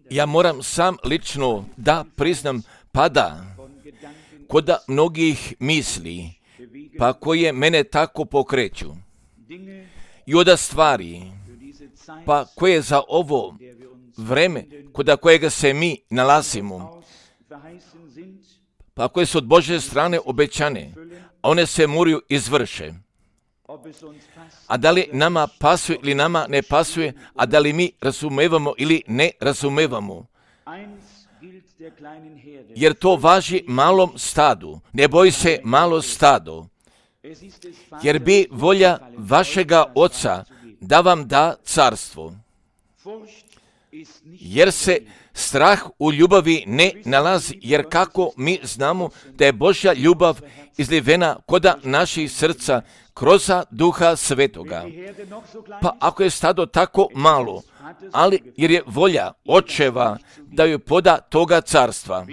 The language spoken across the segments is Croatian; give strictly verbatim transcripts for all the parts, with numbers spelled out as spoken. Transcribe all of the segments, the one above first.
Ja moram sam lično da priznam pada kod mnogih misli, pa koje mene tako pokreću. I od stvari, pa koje za ovo vreme kod kojega se mi nalazimo, pa koje su od Božje strane obećane, a one se moraju izvrše. A da li nama pasuje ili nama ne pasuje, a da li mi razumevamo ili ne razumevamo. Jer to važi malom stadu. Ne boj se malo stado. Jer bi volja vašega Oca da vam da carstvo. Jer se strah u ljubavi ne nalazi, jer kako mi znamo da je Božja ljubav izlivena koda naših srca kroz Duha Svetoga. Pa ako je stado tako malo, ali jer je volja očeva da joj poda toga carstva,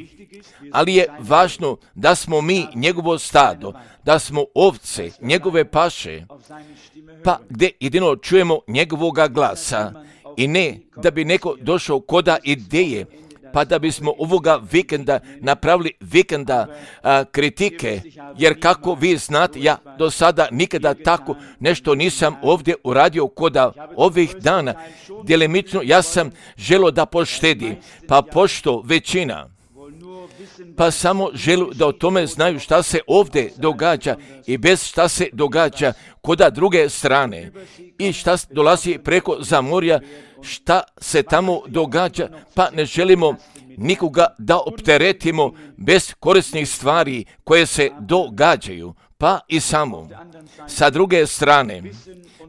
ali je važno da smo mi njegovo stado, da smo ovce njegove paše, pa gdje jedino čujemo njegovoga glasa i ne da bi neko došao koda ideje, pa da bismo ovoga vikenda napravili vikenda a, kritike, jer kako vi znate, ja do sada nikada tako nešto nisam ovdje uradio koda ovih dana. Djelimično ja sam želio da poštedi, pa pošto većina, pa samo želu da o tome znaju šta se ovdje događa i bez šta se događa koda druge strane i šta dolazi preko zamorja, šta se tamo događa, pa ne želimo nikoga da opteretimo bez korisnih stvari koje se događaju, pa i samo. Sa druge strane,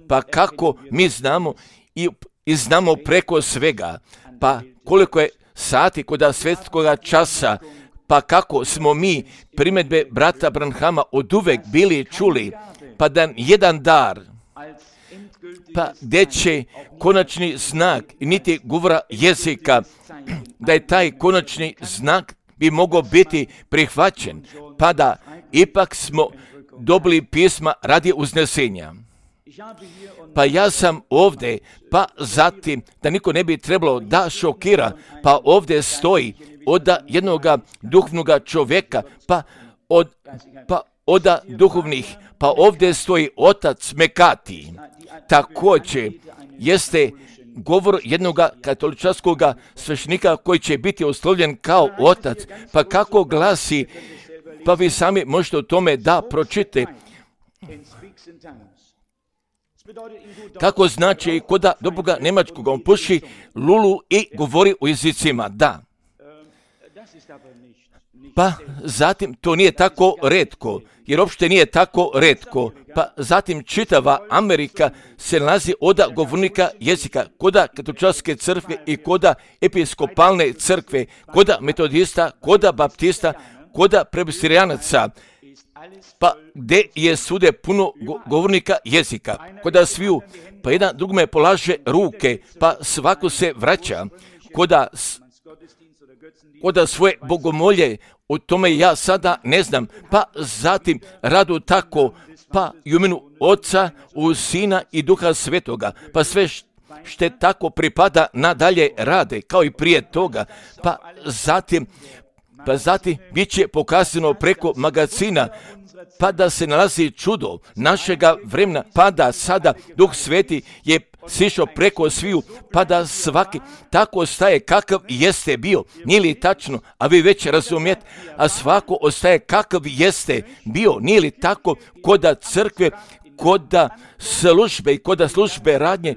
pa kako mi znamo i, i znamo preko svega, pa koliko je sati koda svjetskoga časa, pa kako smo mi primjedbe brata Branhama od uvek bili čuli, pa da jedan dar, pa gdje će konačni znak i niti govora jezika, da je taj konačni znak bi mogao biti prihvaćen, pa da ipak smo dobili pisma radi uznesenja. Pa ja sam ovdje, pa zatim, da niko ne bi trebalo da šokira, pa ovdje stoji od jednoga duhovnoga čovjeka, pa od, pa od duhovnih, pa ovdje stoji otac Mekati. Također jeste govor jednog katoličanskog sveštenika koji će biti oslovljen kao otac, pa kako glasi, pa vi sami možete o tome da pročite. Kako znači kod dobroga Njemačkog, on puši lulu i govori u jezicima, da. Pa zatim to nije tako retko, jer uopšte nije tako retko. Pa zatim čitava Amerika se nalazi od govornika jezika, koda katoličanske crkve i koda episkopalne crkve, koda metodista, koda baptista, koda presbiterijanaca, pa gdje je svude puno govornika jezika, koda sviju, pa jedan drugome polaže ruke, pa svako se vraća, koda, koda svoje bogomolje, o tome ja sada ne znam, pa zatim radu tako, pa i u imenu Oca, u Sina i Duha Svetoga, pa sve što tako pripada nadalje rade, kao i prije toga, pa zatim, pa zatim bit će pokazano preko magazina, pa da se nalazi čudo našega vremena, pa da sada Duh Sveti je sišao preko sviju, pa da svaki tako ostaje kakav jeste bio. Nije li tačno, a vi već razumijete, a svako ostaje kakav jeste bio. Nije li tako koda crkve, koda službe i koda službe radnje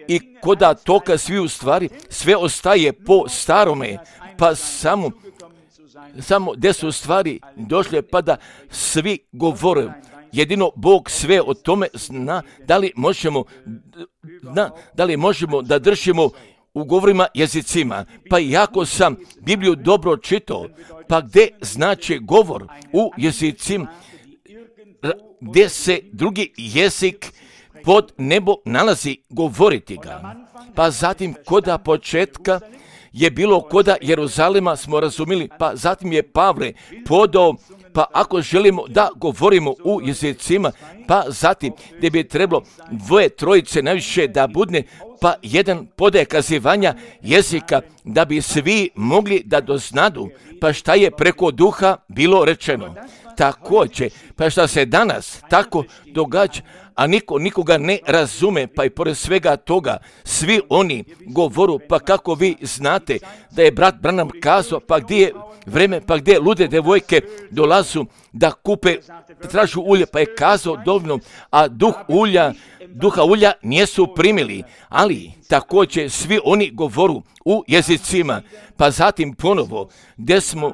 i koda toka sviju stvari, sve ostaje po starome, pa samo samo gdje su stvari došle, pa da svi govore. Jedino Bog sve o tome zna, da li možemo, da, da li možemo da držimo u govorima jezicima. Pa jako sam Bibliju dobro čitao, pa gdje znači govor u jezicima, gdje se drugi jezik pod nebo nalazi, govoriti ga. Pa zatim koda početka je bilo koda Jeruzalema, smo razumili, pa zatim je Pavle podao Pa ako želimo da govorimo u jezicima, pa zatim gdje bi trebalo dvoje, trojice najviše da budne, pa jedan podaje kazivanja jezika da bi svi mogli da doznadu, pa šta je preko duha bilo rečeno. Također, pa šta se danas tako događa, a niko nikoga ne razume, pa i pored svega toga, svi oni govoru, pa kako vi znate da je brat Branham kazao, pa gdje je vreme, pa gdje lude devojke dolazu da kupe, da tražu ulje, pa je kazao dovoljno, a duh ulja, duha ulja nijesu primili, ali također svi oni govoru u jezicima, pa zatim ponovo, gdje smo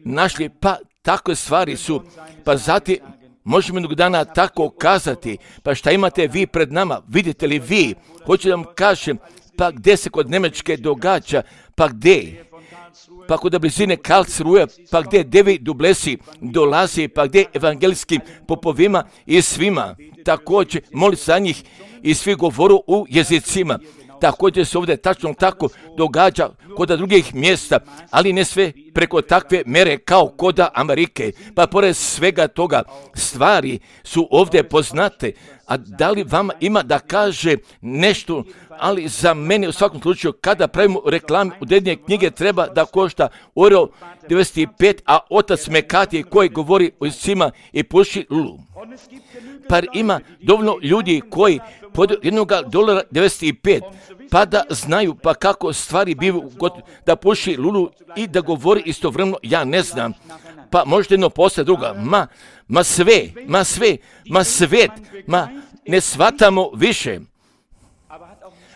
našli, pa takve stvari su, pa zatim možemo jednog dana tako kazati, pa šta imate vi pred nama, vidite li vi, hoću da vam kažem, pa gdje se kod Njemačke događa, pa gdje, pa kod blizine Karlsruhe, pa gdje Devi Dublesi dolazi, pa gdje evangelijskim popovima i svima, također moli za njih i svi govoru u jezicima. Također se ovdje tačno tako događa kod drugih mjesta, ali ne sve preko takve mere kao kod Amerike. Pa pored svega toga stvari su ovdje poznate. A da li vama ima da kaže nešto, ali za mene u svakom slučaju kada pravimo reklame u dednje knjige treba da košta euro devedeset pet, a otac Mekati koji govori o jezicima i puši lulu. Pa ima dovoljno ljudi koji pod jednog dolara devedeset pet, pa da znaju pa kako stvari bivaju da puši lulu i da govori istovremeno, ja ne znam. Pa možda jedno posle druga, ma, ma sve, ma sve, ma svet, ma ne shvatamo više.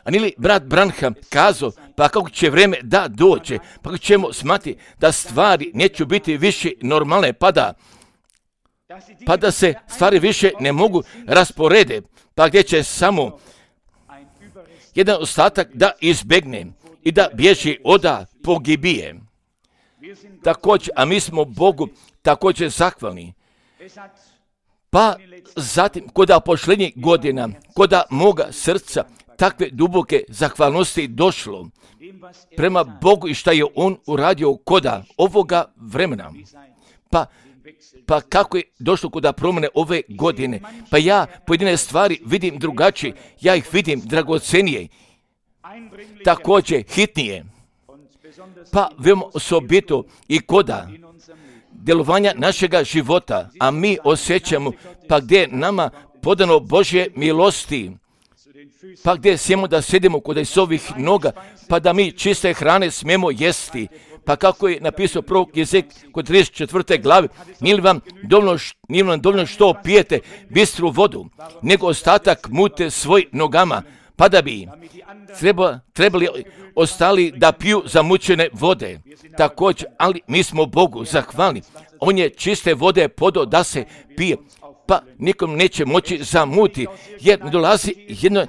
A nili brat Branham kazao, pa kako će vreme da dođe, pa kako ćemo smati da stvari neće biti više normalne, pa da, pa da se stvari više ne mogu rasporede, pa gdje će samo jedan ostatak da izbegne i da bježi oda pogibije. Također, a mi smo Bogu također zahvalni. Pa zatim, koda posljednjih godina, koda moga srca, takve duboke zahvalnosti došlo prema Bogu i šta je On uradio koda ovoga vremena. Pa, pa kako je došlo koda promjene ove godine? Pa ja pojedine stvari vidim drugačije, ja ih vidim dragocenije, također hitnije. Pa veoma osobito i koda djelovanja našega života, a mi osjećamo pa gdje je nama podano Božje milosti, pa gdje smijemo da sjedimo kod Isovih noga, pa da mi čiste hrane smijemo jesti. Pa kako je napisao prorok Jezek kod trideset četvrte glave, nije li vam dovoljno, nije vam dovoljno što pijete bistru vodu, nego ostatak mute svoj nogama, pa da bi treba, trebali ostali da piju zamućene vode. Također, ali mi smo Bogu zahvalni. On je čiste vode podao da se pije, pa nikom neće moći zamuti, jer ne dolazi, jedno,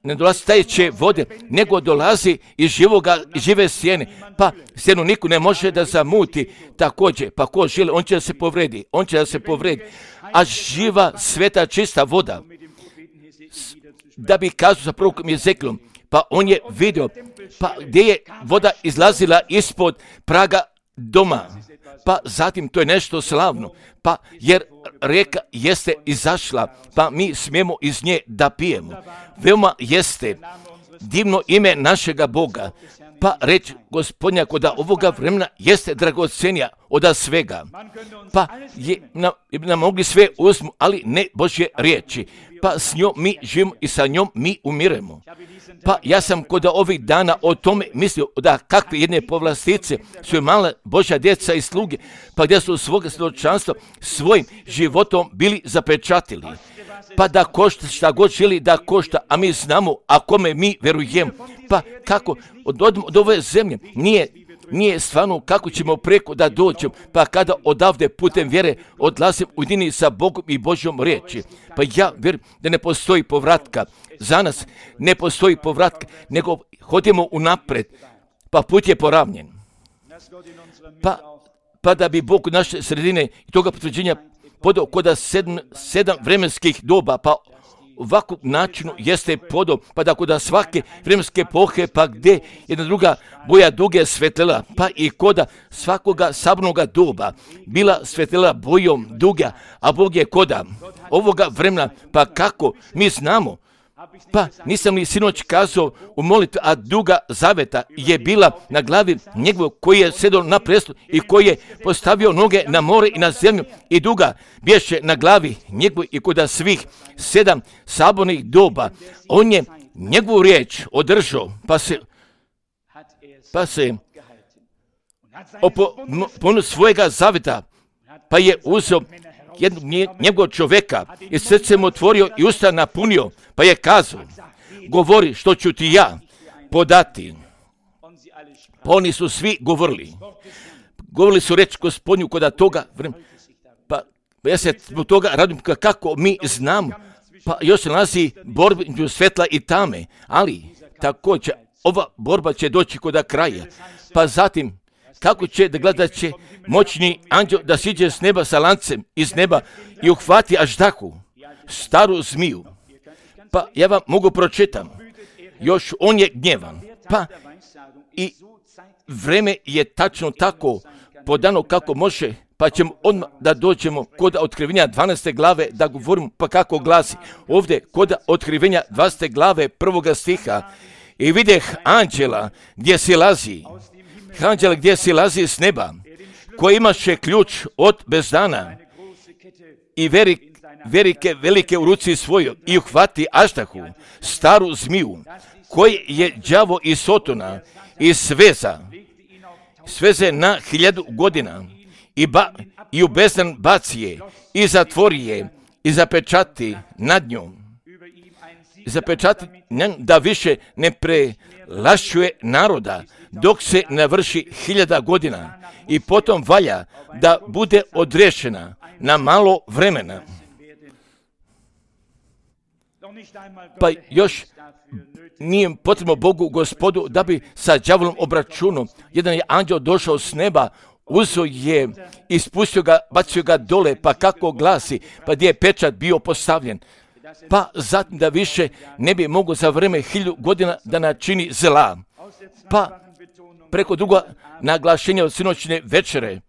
ne dolazi tajeće vode, nego dolazi iz živoga, iz žive sjene, pa sjenu niko ne može da zamuti. Također, pa ko želi, on će da se povredi, on će da se povredi, a živa, sveta, čista voda, da bi kazao sa prorokom Jezekielom, pa on je vidio, pa gdje je voda izlazila ispod praga doma, pa zatim to je nešto slavno, pa jer rijeka jeste izašla, pa mi smijemo iz nje da pijemo. Veoma jeste divno ime našega Boga, pa reč Gospodnja koda ovoga vremena jeste dragocenija od svega. Pa je nam, nam mogli sve uzmu, ali ne Božje riječi. Pa s njom mi živimo i sa njom mi umiremo. Pa ja sam kod ovih dana o tome mislio da kakve jedne povlastice su mala Božja djeca i sluge, pa gdje su svoga svjedočanstva svojim životom bili zapečatili. Pa da košta šta god želi da košta, a mi znamo, a kome mi verujemo. Pa kako od, od, od ove zemlje nije, nije stvarno kako ćemo preko da dođemo, pa kada odavde putem vjere odlazim u jedini sa Bogom i Božjom riječi. Pa ja vjerujem da ne postoji povratka. Za nas ne postoji povratka, nego hodimo unapred, pa put je poravnjen. Pa, pa da bi Bog naše sredine i toga potvrđenja podao koda sedam, sedam vremenskih doba, pa ovakvom načinu jeste podom, pa da kod svake vremenske epohe, pa gdje jedna druga boja duge svetlela, pa i koda svakoga sabornoga doba bila svetlela bojom duga, a Bog je koda ovoga vremena, pa kako mi znamo. Pa nisam li sinoć kazao u molitvi, a duga zaveta je bila na glavi njegovog koji je sedao na prestolu i koji je postavio noge na more i na zemlju, i duga bješe na glavi njegovoj i kod svih sedam sabornih doba. On je njegovu riječ održao, pa se pa se oponuo svojega zaveta, pa je uzeo jednog njegovog čovjeka i srce mu otvorio i usta napunio, pa je kazao, govori što ću ti ja podati. Pa oni su svi govorili. Govorili su reč Gospodnju kod toga vremena. Pa ja se zbog toga radim kako mi znamo. Pa još se nalazi borba između svetla i tame, ali također ova borba će doći kod kraja. Pa zatim kako će da gleda će moćni anđel da siđe s neba sa lancem iz neba i uhvati aždahu, staru zmiju. Pa ja vam mogu pročitam. Još on je gnjevan. Pa i vreme je tačno tako podano kako može, pa ćemo odmah da dođemo kod otkrivenja dvanaeste glave da govorimo pa kako glasi. Ovdje kod otkrivenja dvanaeste glave prvoga stiha, i videh anđela gdje silazi, anđela gdje silazi s neba, koji imaše ključ od bezdana i verik, verike velike u ruci svojoj, i uhvati aždahu, staru zmiju, koji je đavo i sotona i sveza, sveze na hiljadu godina, i, ba, i u bezdan baci je, i zatvori je, i zapečati nad njom, i zapečati da više ne prelašćuje naroda, dok se navrši hiljada godina, i potom valja da bude odrešena na malo vremena. Pa još nije potrebno Bogu Gospodu da bi sa đavolom obračunao. Jedan je anđel došao s neba, uzeo je i spustio ga, bacio ga dole, pa kako glasi, pa gdje je pečat bio postavljen. Pa zatim da više ne bi mogao za vreme hiljadu godina da načini zla. Pa preko druga naglašenja od sinoćne večere,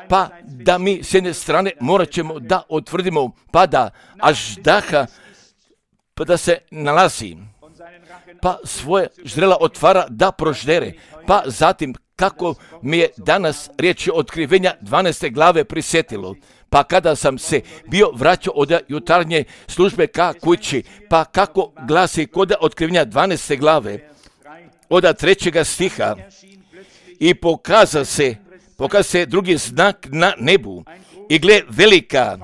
pa da mi s jedne strane morat ćemo da otvrdimo, pa da aždaha, pa da se nalazi, pa svoje ždrela otvara da proždere, pa zatim kako mi je danas riječ otkrivenja dvanaeste glave prisjetilo, pa kada sam se bio vraćao od jutarnje službe ka kući, pa kako glasi kod otkrivenja dvanaeste glave, od trećega stiha, i pokaza se, pokaza se drugi znak na nebu, i gle velika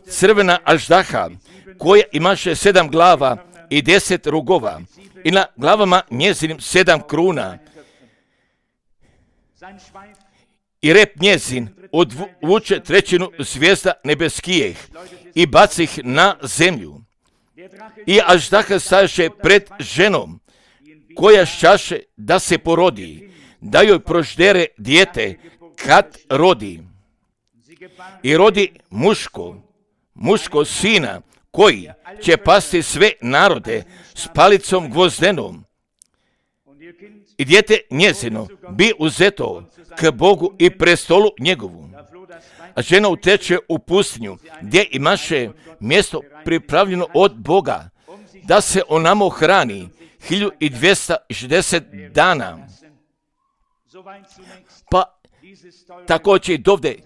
crvena aždaha, koja imaše sedam glava i deset rogova, i na glavama njezinim sedam kruna, i rep njezin odvuče trećinu zvijezda nebeskijeh i baci ih na zemlju. I aždaha stajaše pred ženom, koja šćaše da se porodi, da joj proždere dijete kad rodi. I rodi muško, muško sina, koji će pasti sve narode s palicom gvozdenom. I dijete njezino bi uzeto k Bogu i prestolu njegovu. A žena uteče u pustinju, gdje imaše mjesto pripravljeno od Boga, da se onamo hrani hiljadu dvjesto šezdeset dana. Pa također i dovde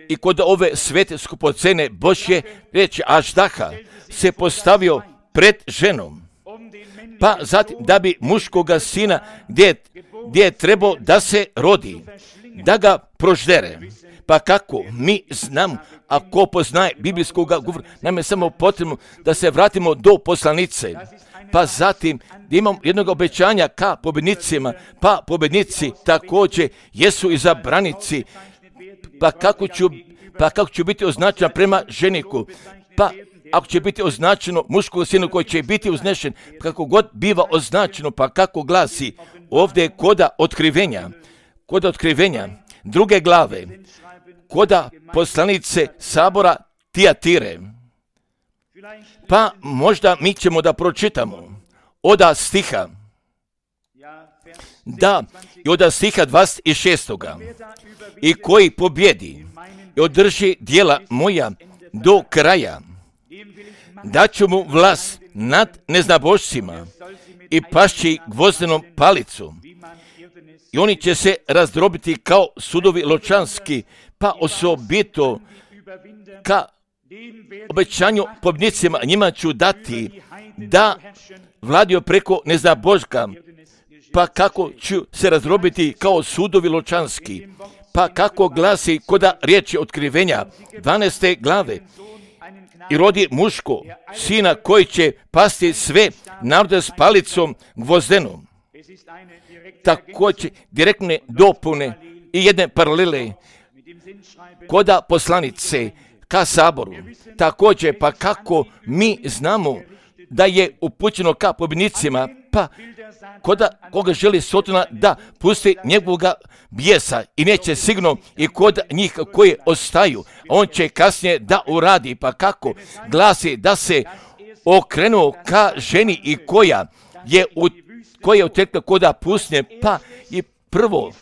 i kod ove svete skupocene Božje reći aždaha se postavio pred ženom. Pa zatim da bi muškoga sina gdje, gdje je trebao da se rodi, da ga proždere. Pa kako mi znamo, ako poznaje biblijskog govora, nam je samo potrebno da se vratimo do poslanice. Pa zatim da imamo jednog obećanja ka pobjednicima, pa pobjednici također jesu izabranici. Pa kako ću, pa kako ću biti označena prema ženiku? Pa ako će biti označeno muškog sina koji će biti uznešen, kako god biva označeno, pa kako glasi ovdje koda otkrivenja, koda otkrivenja druge glave, koda poslanice sabora Tijatire. Pa možda mi ćemo da pročitamo oda stiha, da, i oda stiha dvadeset šest. I koji pobjedi i održi djela moja do kraja, daću mu vlast nad neznabošcima i pašći gvozdenom palicom. I oni će se razdrobiti kao sudovi ločanski, pa osobito ka obećanju pobjednicima njima ću dati da vladio preko neznaboška, pa kako ću se razdrobiti kao sudovi ločanski, pa kako glasi koda riječi otkrivenja dvanaeste glave, i rodi muško, sina koji će pasti sve narode s palicom gvozdenom. Također direktne dopune i jedne paralele koda poslanice ka saboru. Također pa kako mi znamo da je upućeno ka pobjednicima, pa koda koga želi Sotona da pusti njegovoga bijesa i neće sigurno i kod njih koji ostaju, on će kasnije da uradi, pa kako glasi da se okrenuo ka ženi i koja je u koja je utekla koda pustinje, pa i prvo,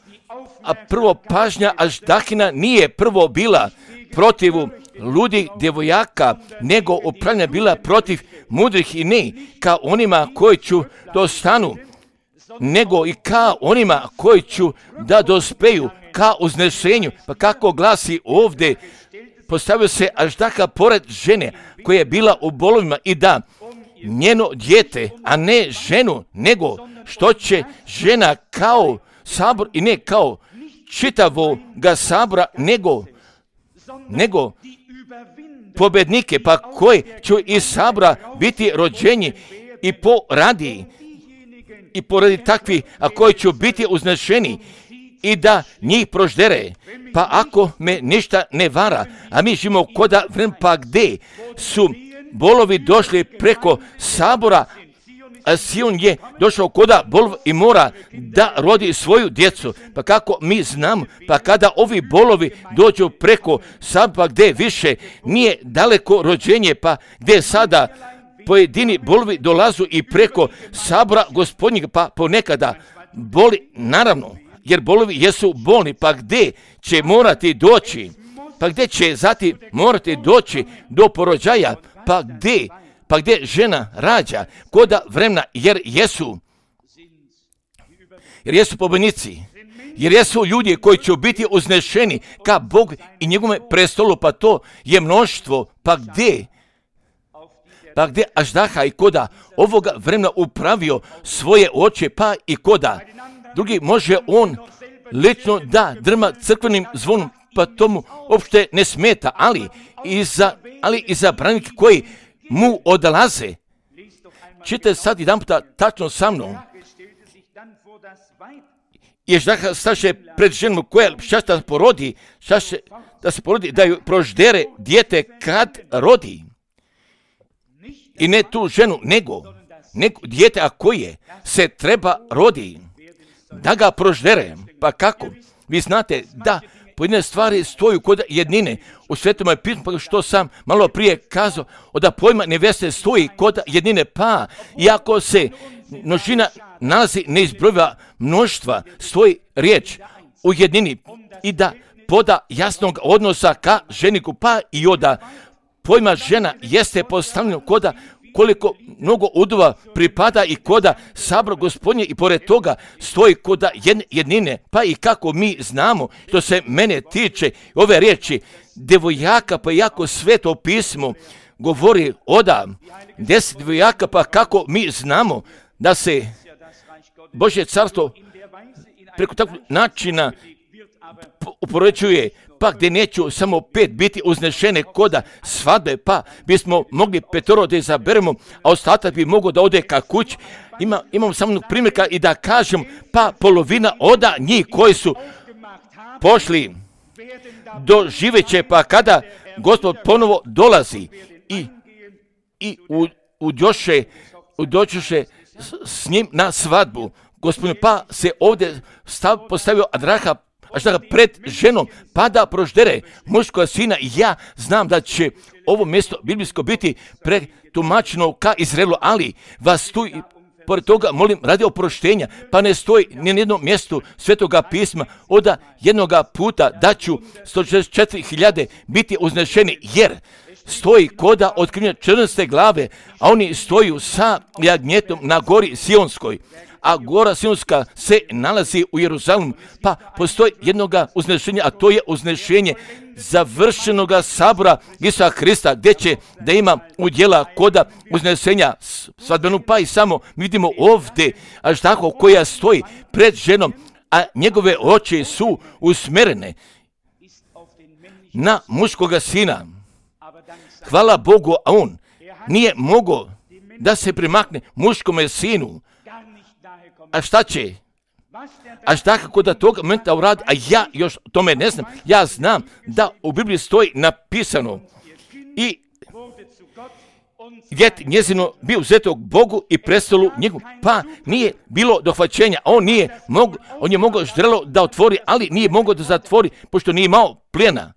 a prvo pažnja Aždahina nije prvo bila protiv ludih djevojaka, nego upravljena bila protiv mudrih i ne ka onima koji ću dostanu, nego i ka onima koji ću da dospeju ka uznešenju. Pa kako glasi ovdje, postavio se Aždaha pored žene koja je bila u bolovima i da njeno dijete, a ne ženu, nego što će žena kao sabor i ne kao čitavoga sabora, nego, nego pobjednike, pa koji će iz sabora biti rođeni i poradi i poradi takvi, a koji će biti uznešeni i da njih proždere. Pa ako me ništa ne vara, a mi živimo koda vremena, pa gdje su bolovi došli preko sabora, a Sion je došao koda bolov i mora da rodi svoju djecu. Pa kako mi znamo, pa kada ovi bolovi dođu preko sabora, gdje više nije daleko rođenje, pa gdje sada pojedini bolovi dolazu i preko sabora gospodnjega, pa ponekada boli, naravno, jer bolovi jesu bolni, pa gdje će morati doći, pa gdje će zatim morati doći do porođaja, pa gdje, pa gdje žena rađa, koda vremena, jer jesu, jer jesu pobjednici, jer jesu ljudi koji će biti uznešeni ka Bogu i njegove prestolu, pa to je mnoštvo, pa gdje, pa gdje Aždaha i koda ovoga vremena upravio svoje oči, pa i koda drugi može on lično da drma crkvenim zvonom, pa tomu uopšte ne smeta, ali i za, ali i za branike koji mu odlaze. Čite sad jedan puta tačno sa mnom. I Aždaha staše pred ženom koja šašta porodi, šaše da se porodi, da ju proždere dijete kad rodi. I ne tu ženu, nego, nego dijete, a koje se treba rodi, da ga proždere. Pa kako? Vi znate da pojedine stvari stoju kod jednine u Svetom pismu, pa što sam malo prije kazao, da pojma neveste stoji kod jednine, pa iako se množina nalazi neizbrojiva mnoštva, stoji riječ u jednini i da poda jasnog odnosa ka ženiku, pa i oda pojma žena jeste postavljeno koda koliko mnogo udova pripada i koda sabor gospodnje i pored toga stoji koda jednine, pa i kako mi znamo što se mene tiče ove riječi devojaka, pa jako sveto pismo govori oda deset devojaka, pa kako mi znamo da se Božje carstvo preko takvog načina upoređuje, pa gdje neću samo pet biti uznešene koda svadbe, pa bismo mogli petoro da izaberemo, a ostatak bi mogao da ode ka kući. Ima, imam samo primjerka i da kažem, pa polovina oda njih koji su pošli do živeće, pa kada Gospod ponovo dolazi i, i u, uđoše, udoćuše s, s njim na svadbu, Gospodin, pa se ovdje stav, postavio Adraha, Aždaha pred ženom, pa da proždere muškoga sina, i ja znam da će ovo mjesto biblijsko biti pretumačeno ka Izraelu, ali vas tu i pored toga molim radi oproštenja, pa ne stoji ni na jednom mjestu Svetoga pisma od jednoga puta da ću sto šezdeset četiri hiljade biti uznešeni, jer stoji koda otkrivenja četrnaeste glave, a oni stoju sa jagnjetom na gori Sionskoj, a gora Sionska se nalazi u Jeruzalemu, pa postoji jednoga uznešenja, a to je uznešenje završenoga sabora Isusa Hrista, gdje će da ima udjela koda uznesenja svadbenu, pa i samo vidimo ovdje Aždahu koja stoji pred ženom, a njegove oči su usmjerene na muškoga sina. Hvala Bogu, a on nije mogao da se primakne muškome sinu. A šta će? A šta kako da toga momenta uradi? A ja još tome ne znam. Ja znam da u Bibliji stoji napisano i djet njezino bio uzeto Bogu i prestolu njegov. Pa nije bilo dohvaćenja. On nije mogo, on je mogao ždrelo da otvori, ali nije mogao da zatvori, pošto nije imao plijena.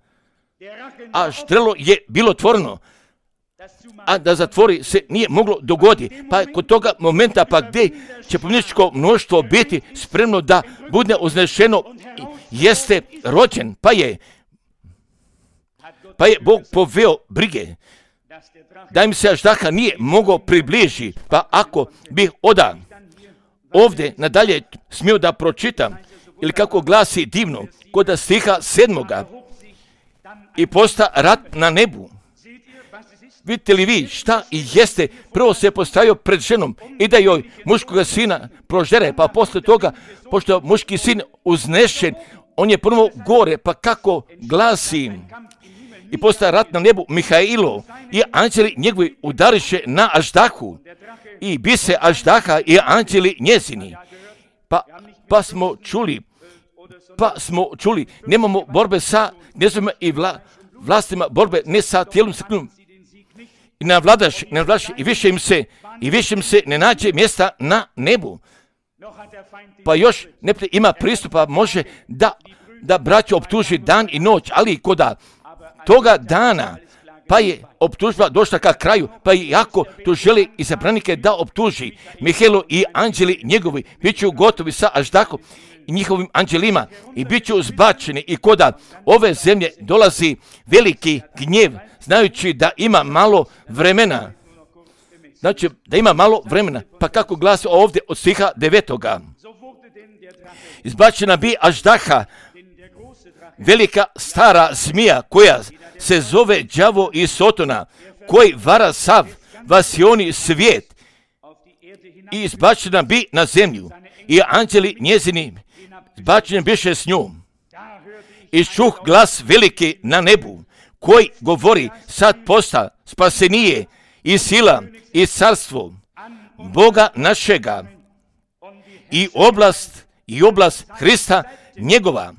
A ždrelo je bilo otvoreno, a da zatvori se nije moglo dogoditi. Pa kod toga momenta, pa gdje će pomničko mnoštvo biti spremno da bude uznešeno, jeste rođen, pa je, pa je Bog poveo brige da im se Aždaha nije mogao približi. Pa ako bih oda ovdje nadalje smio da pročitam, ili kako glasi divno, kod stiha sedmoga, i posta rat na nebu. Vidite li vi šta i jeste? Prvo se postavio pred ženom i da joj muškoga sina prožere, pa posle toga, pošto je muški sin uznešen, on je prvo gore, pa kako glasi, i postaje rat na nebu, Mihailo i anđeli njegovi udariše na Aždahu i bi se Aždaha i anđeli njezini. Pa, pa smo čuli, pa smo čuli, nemamo borbe sa gnjezdovima i vla, vlastima, borbe ne sa tijelom srknom. I ne vladaš, ne vladaš, i više im se, i više im se ne nađe mjesta na nebu. Pa još ne ima pristupa, može da, da braću optuži dan i noć, ali koda toga dana, pa je optužba došla ka kraju, pa i ako to želi izabranike da optuži, Mihailo i anđeli njegovi bit ću gotovi sa Aždahom i njihovim anđelima i bit ću zbačeni, i koda ove zemlje dolazi veliki gnjev, znajući da ima malo vremena. Znači, da ima malo vremena. Pa kako glasi ovdje od stiha devetoga. Izbačena bi Aždaha, velika stara zmija, koja se zove đavo i Sotona, koji vara sav vasioni svijet, i izbačena bi na zemlju, i anđeli njezini izbačeni biše s njom. I čuh glas veliki na nebu, koji govori, sad posta spasenije i sila i carstvo Boga našega i oblast i oblast Hrista njegova,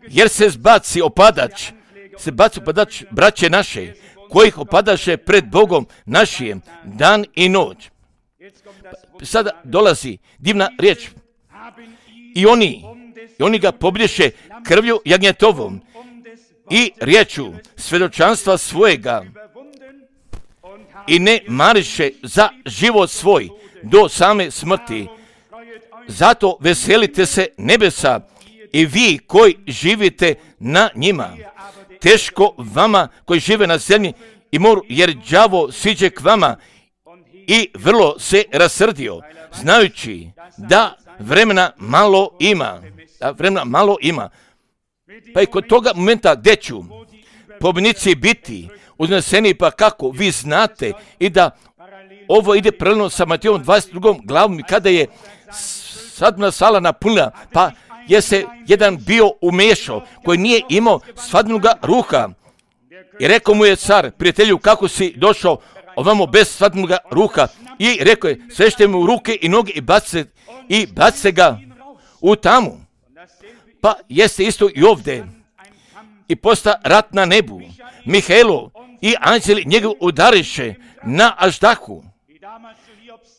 jer se zbaci opadač, se baci opadač braće naše, kojih opadaše pred Bogom našijem dan i noć. Sada dolazi divna riječ. I oni, i oni ga pobješe krvlju jagnjetovom i riječu svjedočanstva svojega, i ne mariše za život svoj do same smrti. Zato veselite se nebesa i vi koji živite na njima. Teško vama koji žive na zemlji i moru, jer đavo siđe k vama i vrlo se rasrdio, znajući da vremena malo ima. Da vremena malo ima. Pa i kod toga momenta gdje ću pobjednici biti uzneseni, pa kako vi znate, i da ovo ide paralelno sa Matejom dvadeset drugom glavom, i kada je svadbena sala napunila, pa je se jedan bio umešao koji nije imao svadbenoga ruha, i rekao mu je car, prijatelju, kako si došao ovamo bez svadbenoga ruha, i rekao je, svešte mu ruke i noge i bace, i bace ga u tamu. Pa jeste isto i ovdje. I posta rat na nebu, Mihailo i anđeli njegov udariše na Aždahu.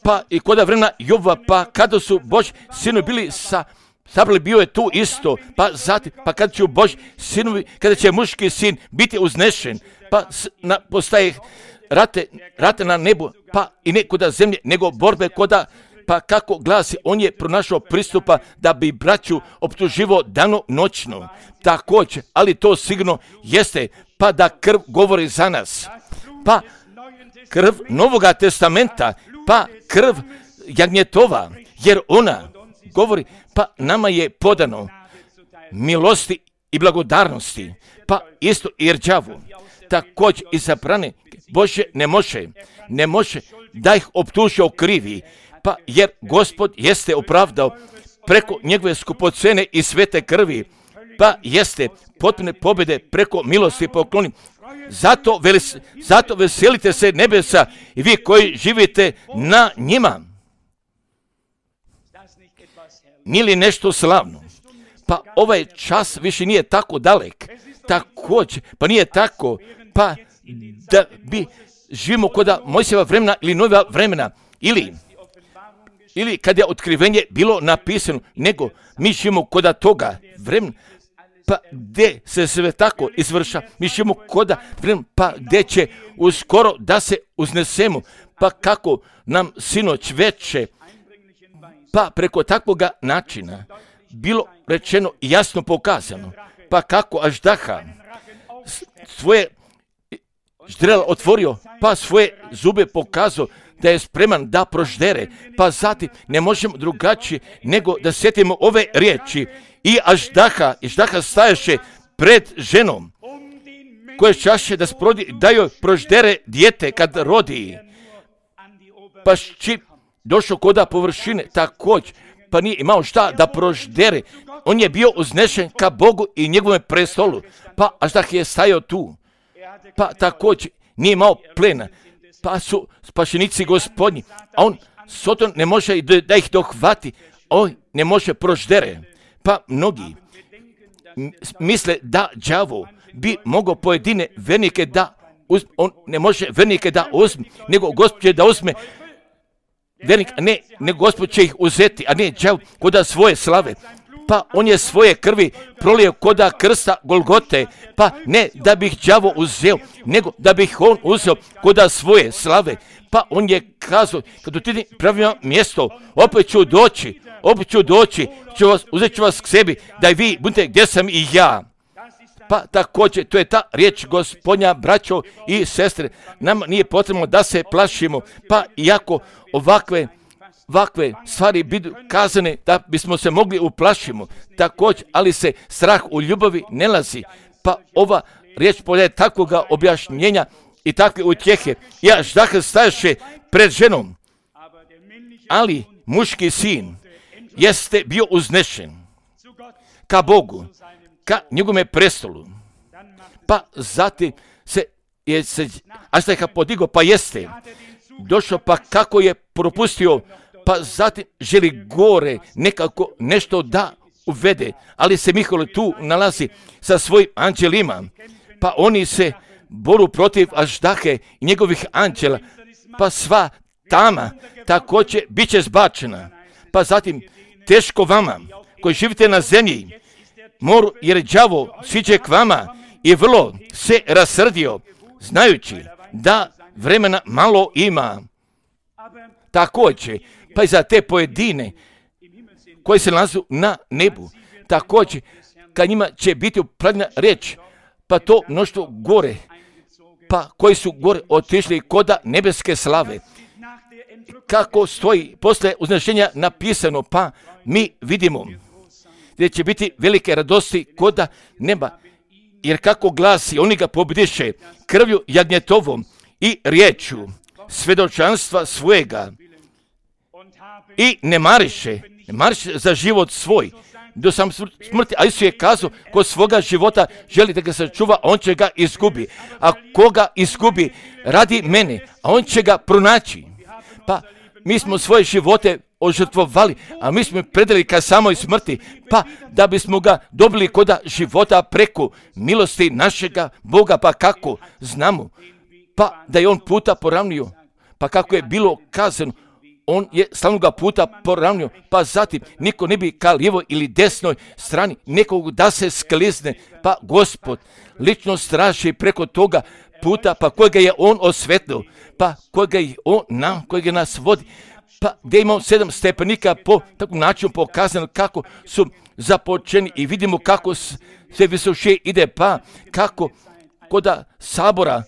Pa i koda vremena Jova, pa kada su Božji sinovi bili sa sabrali, bio je tu isto, pa zatim, pa kada će Božji sinovi, kada će muški sin biti uznešen, pa s, na, postaje rate, rate na nebu, pa i ne koda zemlje, nego borbe koda, pa kako glasi, on je pronašao pristupa da bi braću optuživo dano noćno. Također, ali to sigurno jeste, pa da krv govori za nas. Pa krv Novoga testamenta, pa krv jagnjetova, jer ona govori, pa nama je podano milosti i blagodarnosti, pa isto i rđavu. Također i zabrane Bože ne može, ne može da ih optuži o krivi, pa jer Gospod jeste opravdao preko njegove skupocene i svete krvi, pa jeste potpune pobjede preko milosti pokloni. Zato, velis, zato veselite se nebesa i vi koji živite na njima. Nije li nešto slavno? Pa ovaj čas više nije tako dalek. Također, pa nije tako, pa da bi živimo koda Mojsijeva vremena ili nova vremena, ili ili kad je otkrivenje bilo napisano, nego mi živimo koda toga vremena, pa gdje se sve tako izvrša, mi živimo koda vremena, pa gdje će uskoro da se uznesemo, pa kako nam sinoć veče, pa preko takvoga načina bilo rečeno i jasno pokazano, pa kako Aždaha svoje ždrela otvorio, pa svoje zube pokazao da je spreman da proždere, pa zatim ne možemo drugačije nego da sjetimo ove riječi. I Aždaha, Aždaha stajaše pred ženom, koje čaše da sprodi, da joj proždere dijete kad rodi. Pa čim došao koda površine, također, pa nije imao šta da proždere. On je bio uznešen ka Bogu i njegovom prestolu, pa Aždah je stajao tu. Pa također nije imao plena, pa su spašenici Gospodnji, a on Soton ne može da ih dohvati, on ne može proždere. Pa mnogi misle da đavo bi mogao pojedine vernike da uzme, on ne može vernike da uzme, nego Gospod će da uzme vernik, a ne, nego Gospod će ih uzeti, a ne đavo koda svoje slave. Pa on je svoje krvi prolio koda krsta Golgote, pa ne da bih đavo uzeo, nego da bih on uzeo koda svoje slave. Pa on je kazao, kad ti pravim mjesto, opet ću doći, opet ću doći, ću vas, uzet ću vas k sebi, da i vi budete gdje sam i ja. Pa također, to je ta riječ Gospodnja, braćo i sestre, nama nije potrebno da se plašimo, pa iako ovakve Ovakve stvari budu kazane da bismo se mogli uplašimo, također, ali se strah u ljubavi ne lazi. Pa ova riječ polje takvoga objašnjenja i takve utjehe. I Aždah stajaše pred ženom, ali muški sin jeste bio uznešen ka Bogu, ka njegovome prestolu. Pa zatim se je se Aždah podigao, pa jeste došao, pa kako je propustio, pa zatim želi gore nekako nešto da uvede, ali se Mihael tu nalazi sa svojim anđelima, pa oni se boru protiv Aždahe i njegovih anđela, pa sva tama također bit će zbačena. Pa zatim teško vama koji živite na zemlji, moru, jer đavo siđe k vama i vrlo se rasrdio, znajući da vremena malo ima. Također, pa i za te pojedine koji se nalaze na nebu, također, kad njima će biti upravljena riječ, pa to mnoštvo gore, pa koji su gore otišli koda nebeske slave. Kako stoji posle uznešenja napisano, pa mi vidimo gdje će biti velike radosti koda neba, jer kako glasi, oni ga pobjediše krvlju jagnjetovom i riječu svedočanstva svojega i ne mariše, ne mariše za život svoj do sam smrti, a Isus je kazao, ko svoga života želi da ga sačuva, on će ga izgubi, a koga izgubi radi mene, a on će ga pronaći. Pa mi smo svoje živote ožrtvovali, a mi smo predali ka samoj smrti, pa da bismo ga dobili koda života preko milosti našega Boga, pa kako znamo, pa da je on puta poravnio, pa kako je bilo kazano, on je slavnoga puta poravnio, pa zatim niko ne bi ka lijevoj ili desnoj strani nekog da se sklizne, pa Gospod lično straši preko toga puta, pa kojega je on osvetlio, pa kojega je on nam, kojega nas vodi, pa gdje imamo sedam stepenika po takvom načinu pokazano kako su započeni i vidimo kako sve visoše ide, pa kako koda sabora,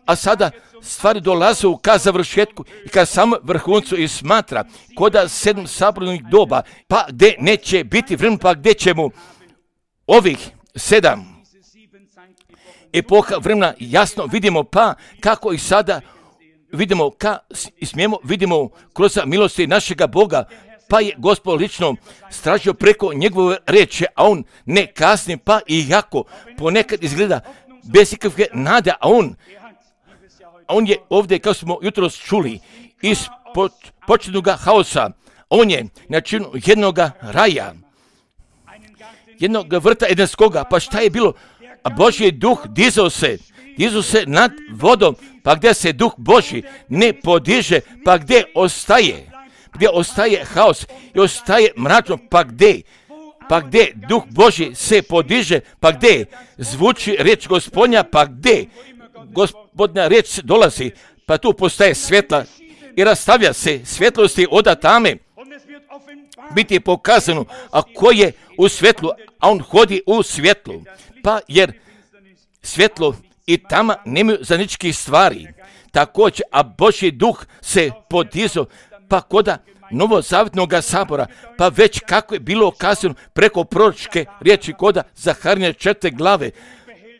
a sada stvari dolaze ka završetku i ka samom vrhuncu i smatra koda sedam sabornih doba, pa gdje neće biti vremena, pa gdje ćemo ovih sedam epoha vremena jasno vidimo, pa kako i sada vidimo, ka, i smijemo vidimo kroz milosti našega Boga, pa je Gospod lično stražio preko njegove reči, a on ne kasni, pa i jako ponekad izgleda bez ikakve nade, a on, a on je ovdje, kao smo jutros čuli, iz početnog haosa, on je na činu jednog raja, jednog vrta edenskoga, pa šta je bilo? A Božji duh dizao se, dizao se nad vodom, pa gdje se duh Božji ne podiže, pa gdje ostaje, gdje ostaje haos i ostaje mračno, pa gdje, pa gdje duh Božji se podiže, pa gdje zvuči riječ Gospodnja, pa gdje Gospodnja riječ dolazi, pa tu postaje svjetla i rastavlja se svjetlosti od tame, biti je pokazano, a ko je u svjetlu, a on hodi u svjetlu, pa jer svjetlo i tama nemaju zajedničkih stvari. Također, a Božji duh se podizao, pa koda novozavjetnog sabora, pa već kako je bilo kazano preko proročke riječi koda Zaharine četvrte glave,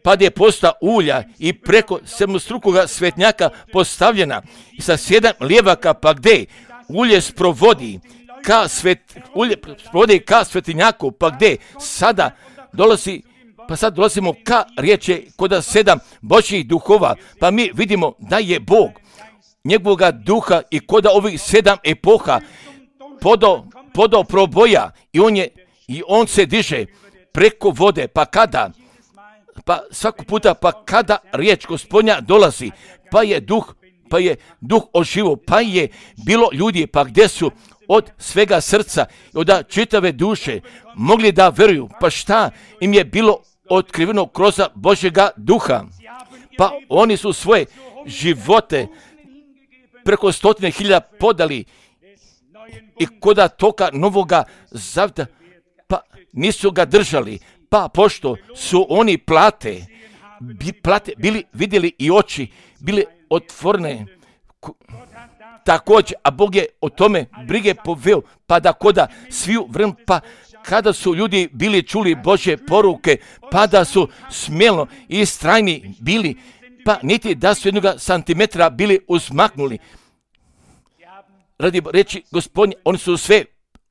pa je postala ulja i preko sedmostrukoga svetnjaka postavljena i sa sedam lijevaka, pa gdje ulje sprovodi ka svet, ulje sprovodi ka svetinjaku, pa gdje sada dolazi, pa sad dolazimo ka riječi koda sedam Božjih duhova, pa mi vidimo da je Bog njegovoga duha i koda ovih sedam epoha podao, podao proboja i on je, i on se diže preko vode, pa kada, pa svakog puta, pa kada riječ Gospodnja dolazi, pa je duh, pa je duh oživo, pa je bilo ljudi, pa gdje su od svega srca i od čitave duše mogli da veruju, pa šta im je bilo otkriveno kroz Božjega duha, pa oni su svoje živote preko stotine hiljada podali i koda toga novoga zavjeta, pa nisu ga držali, pa pošto su oni plate, bi, plate bili vidjeli i oči, bili otvorene, također, a Bog je o tome brige poveo, pa da koda sviju vrem, pa kada su ljudi bili čuli Božje poruke, pa da su smjelno i strajni bili, pa niti da su jednog santimetra bili uzmaknuli. Radi reći Gospodnje, oni su sve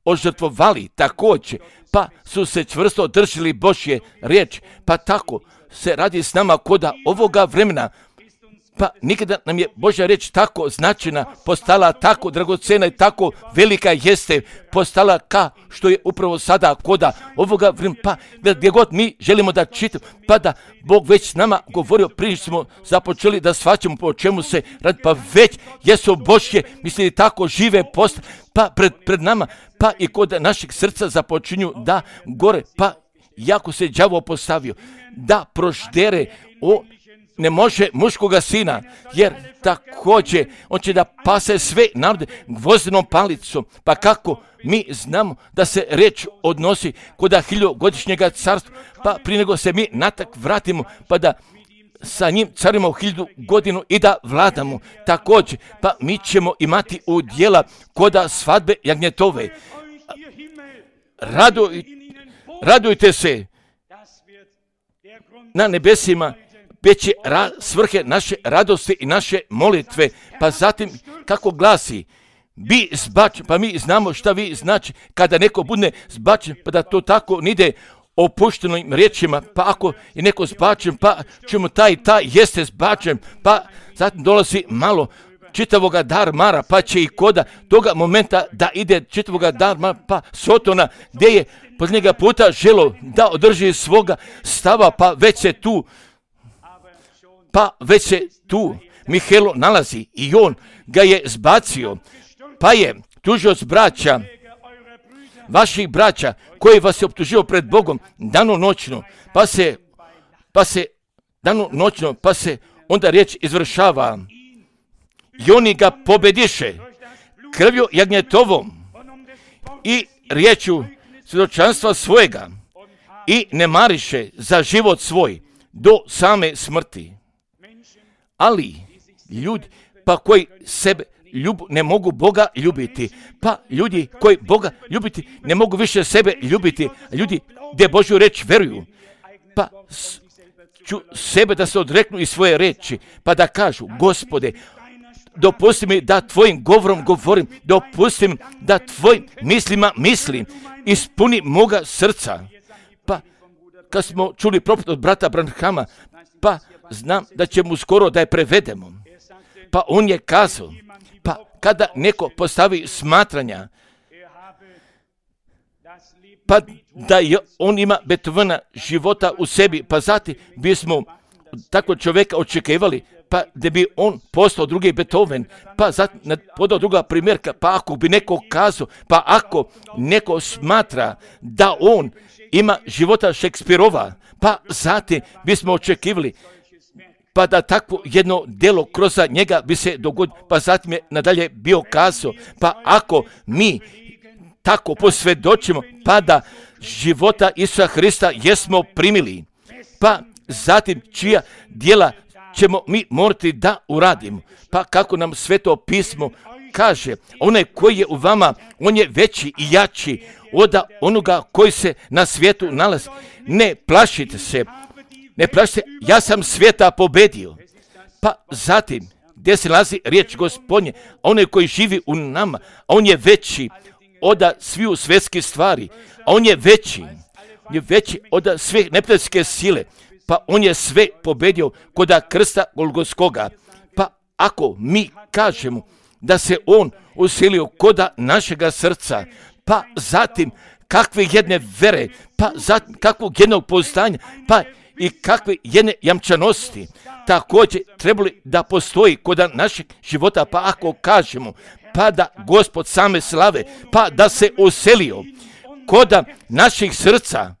ožrtvovali također, pa su se čvrsto držali Božje riječi, pa tako se radi s nama koda ovoga vremena, pa nikada nam je Božja riječ tako značajna, postala tako dragocena i tako velika jeste, postala ka što je upravo sada koda ovoga vremena, pa gdje god mi želimo da čitamo, pa da Bog već s nama govorio prije smo započeli da shvaćamo po čemu se radi, pa već jesu Božje, mislili tako žive post, pa pred, pred nama, pa i kod našeg srca započinju da gore, pa jako se đavo postavio, da proždere o ne može muškoga sina, jer također on će da pase sve narode gvozdenom palicom. Pa kako mi znamo da se reč odnosi kod hiljogodišnjega carstva, pa prije nego se mi natak vratimo, pa da sa njim carimo hiljadu godinu i da vladamo. Također, pa mi ćemo imati udjela koda svadbe jagnjetove. Raduj, radujte se na nebesima, već je ra, svrhe naše radosti i naše molitve, pa zatim kako glasi, bi zbačen, pa mi znamo šta vi znači kada neko bude zbačen, pa da to tako nide opuštenim riječima, pa ako je neko zbačen, pa ćemo taj taj jeste zbačen, pa zatim dolazi malo čitavoga dar mara, pa će i koda toga momenta da ide čitavoga dar mara, pa Sotona, gdje je posljednjega puta želo da održi svoga stava, pa već se tu Pa već se tu Mihelo nalazi i on ga je zbacio, pa je tužioc braća, vaših braća, koji vas je optužio pred Bogom danonoćno, pa se, pa se, danonoćno, pa se onda riječ izvršava. I oni ga pobediše krvju jagnjetovom i riječu svjedočanstva svojega i ne mariše za život svoj do same smrti. Ali ljudi pa koji sebe ljub, ne mogu Boga ljubiti, pa ljudi koji Boga ljubiti ne mogu više sebe ljubiti, ljudi gdje Božju reč veruju, pa ću sebe da se odreknu i svoje reči, pa da kažu: Gospode, dopusti mi da tvojim govorom govorim, dopusti mi da tvojim mislima mislim, ispuni moga srca. Pa kad smo čuli propovijed od brata Branhama, pa znam da ćemo skoro da je prevedemo. Pa on je kazao, pa kada neko postavi smatranja, pa da je on ima Beethovena života u sebi, pa zatim bismo takvog čovjeka očekivali, pa da bi on postao drugi Beethoven, pa zatim podao druga primjerka, pa ako bi neko kazao, pa ako neko smatra da on ima života Šekspirova, pa zatim bismo očekivali, pa da takvo jedno djelo kroz njega bi se dogodilo, pa zatim je nadalje bio kazao, pa ako mi tako posvjedočimo, pa da života Isusa Hrista jesmo primili, pa zatim čija djela ćemo mi morati da uradimo. Pa kako nam Sveto pismo kaže, onaj koji je u vama, on je veći i jači od onoga koji se na svijetu nalazi. Ne plašite se, ne plašite, ja sam svijeta pobedio. Pa zatim, gdje se nalazi riječ Gospodnje, onaj koji živi u nama, on je veći od sviju svjetskih stvari, a on je veći, je veći od sve neprijateljske sile, pa on je sve pobedio kod krsta Golgotskoga. Pa ako mi kažemo da se on usilio kod našega srca, pa zatim kakve jedne vere, pa zatim kakvog jednog postanja, pa i kakve jedne jamčanosti također trebali da postoji kod našeg života, pa ako kažemo pa da Gospod same slave, pa da se uselio kod naših srca,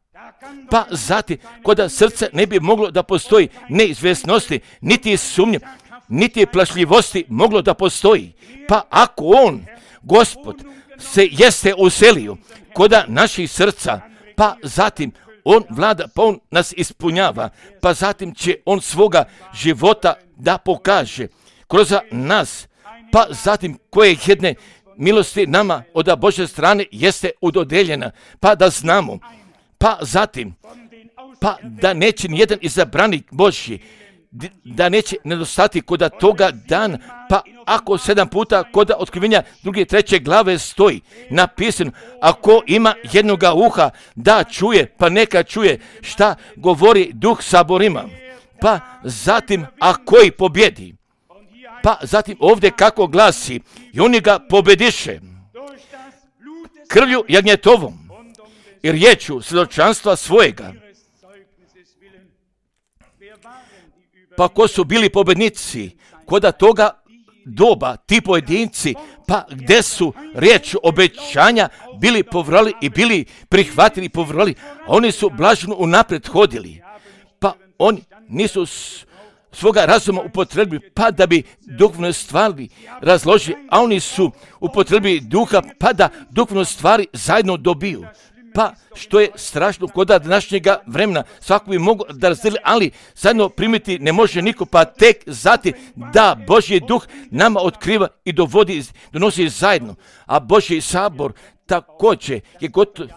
pa zatim kod srca ne bi moglo da postoji neizvjesnosti, niti sumnje, niti plašljivosti moglo da postoji. Pa ako on, Gospod, se jeste uselio kod naših srca, pa zatim on vlada, pa on nas ispunjava, pa zatim će on svoga života da pokaže kroz nas, pa zatim koje jedne milosti nama od Božje strane jeste udodeljena, pa da znamo, pa zatim, pa da neće nijedan izabranik Božji, da neće nedostati kod toga dana, pa ako sedam puta kod otkrivenja druge treće glave stoji napisano, ako ima jednoga uha da čuje, pa neka čuje šta govori Duh saborima, pa zatim a koji pobjedi, pa zatim ovdje kako glasi, i oni ga pobediše krvlju jagnjetovom i riječu svjedočanstva svojega. Pa ko su bili pobednici kod toga doba, ti pojedinci, pa gdje su riječ obećanja bili povrali i bili prihvatili i povrali, a oni su blaženo unaprijed hodili, pa oni nisu svoga razuma upotrebili, pa da bi duhovne stvari razložili, a oni su upotrebili duha, pa da duhovne stvari zajedno dobiju. Pa što je strašno kod današnjega vremena, svako bi mogo da razdeli, ali zajedno primiti ne može niko, pa tek zatim da Božji duh nama otkriva i dovodi, donosi zajedno, a Božji sabor također je gotov,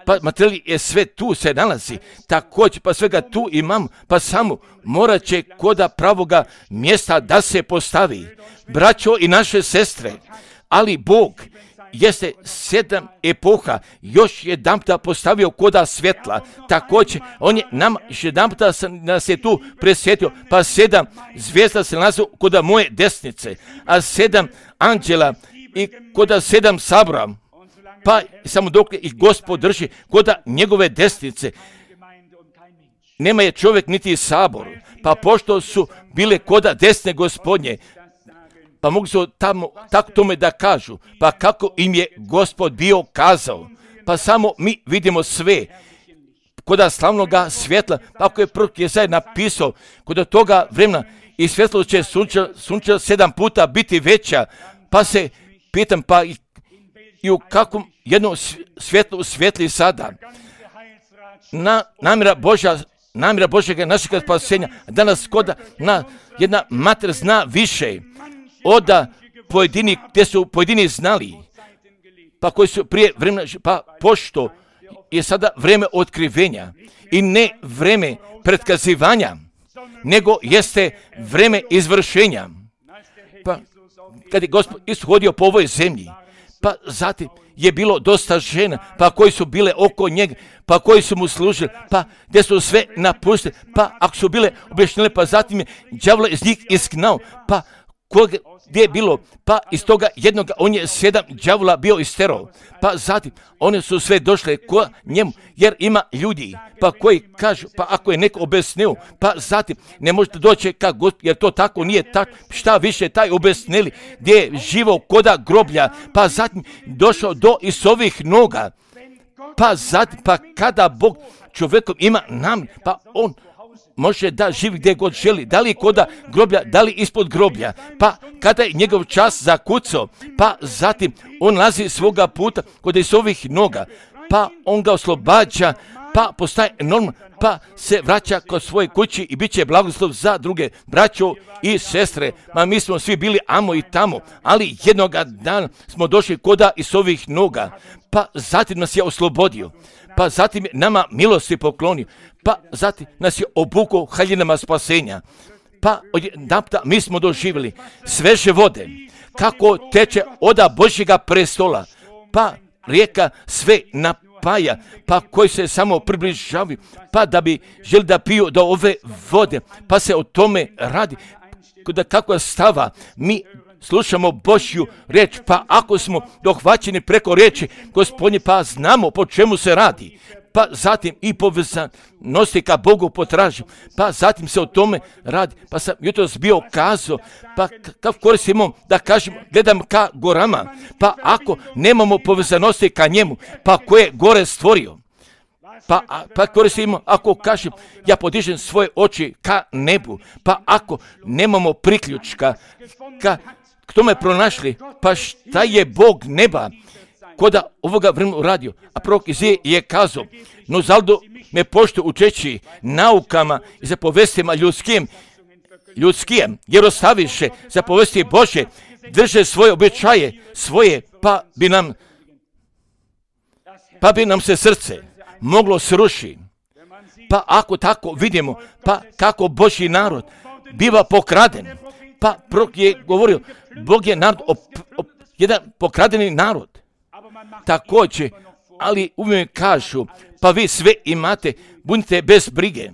pa materijal je sve tu se nalazi, također pa svega tu imam, pa samo morat će kod pravoga mjesta da se postavi. Braćo i naše sestre, ali Bog jeste sedam epoha još jedan puta postavio koda svjetla, također on je nam jedan puta nas je tu presjetio, pa sedam zvijezda se nalazi koda moje desnice, a sedam anđela i koda sedam sabora, pa samo dok ih Gospod drži koda njegove desnice, nema je čovjek niti sabor, pa pošto su bile koda desne Gospodnje, pa mogu se tamo tako tome da kažu, pa kako im je Gospod bio kazao, pa samo mi vidimo sve, koda slavnoga svjetla, pa ako je prorok Jesaja napisao, kod toga vremena i svjetlo će sunča, sunča sedam puta biti veća, pa se pitam, pa i, i u kakvom jednom svjetlu svjetli sada. Na, namjera Božja, namjera Božjega našega spasenja, danas koda na, jedna mater zna više od pojedini, gdje su pojedini znali, pa koji su prije vremena, pa pošto je sada vrijeme otkrivenja i ne vrijeme pretkazivanja, nego jeste vrijeme izvršenja. Pa kad je Gospod ishodio po ovoj zemlji, pa zatim je bilo dosta žena, pa koji su bile oko njega, pa koji su mu služili, pa gdje su sve napustili, pa ako su bile objašnjene, pa zatim je đavola iz njih isgnao, pa koga, gdje je bilo, pa iz toga jednoga on je sedam đavola bio isterao, pa zatim one su sve došle ko njemu, jer ima ljudi, pa koji kažu, pa ako je neko obesneo, pa zatim ne možete doći ka Gospodu, jer to tako nije tako, šta više taj obesneli, gdje je živo koda groblja, pa zatim došao do Isovih noga, pa zatim, pa kada Bog čovjekom ima nam, pa on može da živi gdje god želi, da li koda groblja, da li ispod groblja, pa kada je njegov čas zakucao, pa zatim on lazi svoga puta kod Isovih noga, pa on ga oslobađa, pa postaje normalno, pa se vraća kod svoje kući i bit će blagoslov za druge braćo i sestre. Ma mi smo svi bili amo i tamo, ali jednoga dana smo došli koda Isovih noga, pa zatim nas je oslobodio, pa zatim je nama milosti poklonio, pa zatim nas je obukao haljinama spasenja, pa odjedanputa mi smo doživjeli sveže vode, kako teče oda Božjega prestola, pa rijeka sve napaja, pa koji se samo približavaju, pa da bi želi da piju do ove vode, pa se o tome radi, da kako stava mi slušamo Božju riječ, pa ako smo dohvaćeni preko riječi Gospodnje, pa znamo po čemu se radi, pa zatim i povezanosti ka Bogu potražim, pa zatim se o tome radi, pa sam jutros bio kazao, pa kako koristimo da kažem, gledam ka gorama, pa ako nemamo povezanosti ka njemu, pa ko je gore stvorio, pa, pa koristimo, ako kažem, ja podižem svoje oči ka nebu, pa ako nemamo priključka ka k tome pronašli, pa šta je Bog neba koda ovoga vremena uradio, a prorok Izije je kazao, no zaldo me pošto učeći naukama i zapovestima ljudskim, ljudskim, jer ostaviše zapovesti Bože, drže svoje običaje, svoje, pa bi nam, pa bi nam se srce moglo sruši. Pa ako tako vidimo, pa kako Božji narod biva pokraden, pa prorok je govorio, Bog je narod, op, op, jedan pokradeni narod. Također, ali uvijek kažu, pa vi sve imate, budite bez brige,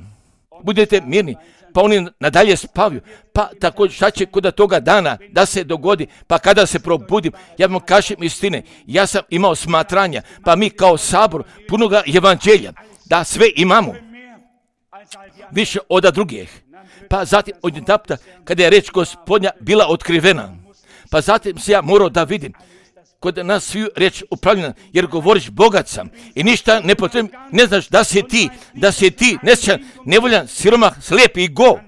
budite mirni, pa oni nadalje spavaju, pa također šta će kod toga dana da se dogodi, pa kada se probudim, ja vam kažem istine, ja sam imao smatranja, pa mi kao sabor punoga evanđelja, da sve imamo, više od drugih. Pa zatim odjedanputa kada je reč Gospodnja bila otkrivena, pa zatim se ja morao da vidim kod nas svi reč upravljena, jer govoriš bogat sam i ništa ne potrebno, ne znaš da si ti, da si ti nesrećan, nevoljan, siromah, slijep i go.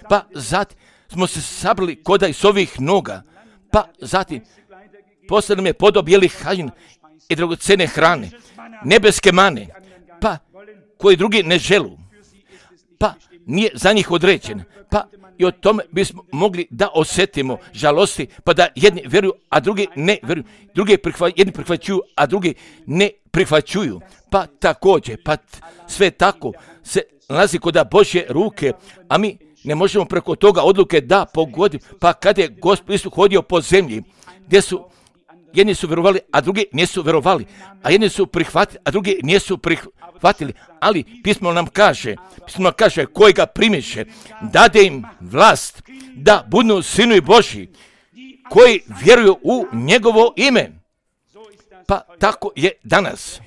Pa zatim smo se sabrali koda iz ovih noga, pa zatim posle nam je podob jeli haljina i dragocene hrane, nebeske mane, pa koji drugi ne želu, pa nije za njih određen, pa i o tome bismo mogli da osjetimo žalosti, pa da jedni vjeruju, a drugi ne vjeruju, drugi prihva, jedni prihvaćuju, a drugi ne prihvaćuju, pa također, pa sve tako se nalazi kod Božje ruke, a mi ne možemo preko toga odluke da pogodimo, pa kad je Gospod Isus hodio po zemlji, gdje su jedni su vjerovali, a drugi nisu vjerovali, a jedni su prihvatili, a drugi nisu prihvatili, ali pismo nam kaže, pismo nam kaže, koji ga primiše, dade im vlast da budu sinovi Božji, koji vjeruju u njegovo ime. Pa tako je danas.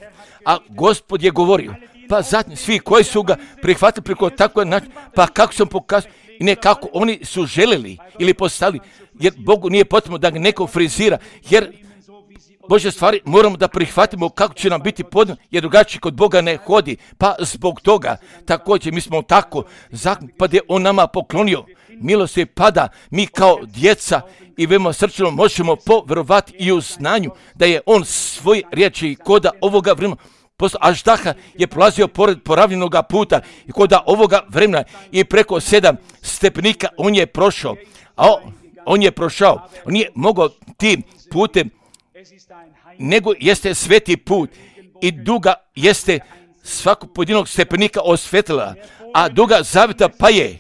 A Gospod je govorio, pa zatim svi koji su ga prihvatili preko tako način, pa kako sam pokazao, i ne kako oni su željeli ili postavili, jer Bogu nije potrebno da ga neko frizira, jer Božje stvari moramo da prihvatimo kako će nam biti podno, jer drugačije kod Boga ne hodi. Pa zbog toga, također mi smo tako, pa da je On nama poklonio milost je pada, mi kao djeca i veoma srčano možemo povjerovati i u znanju da je On svoje riječi koda ovoga vremena. Aždaha je prolazio pored poravljenog puta i koda ovoga vremena i preko sedam stepenika on je prošao, a on, on je prošao, on nije mogao tim putem, nego jeste sveti put i duga jeste svakog pojedinog stepenika osvetila, a duga zaveta pa je.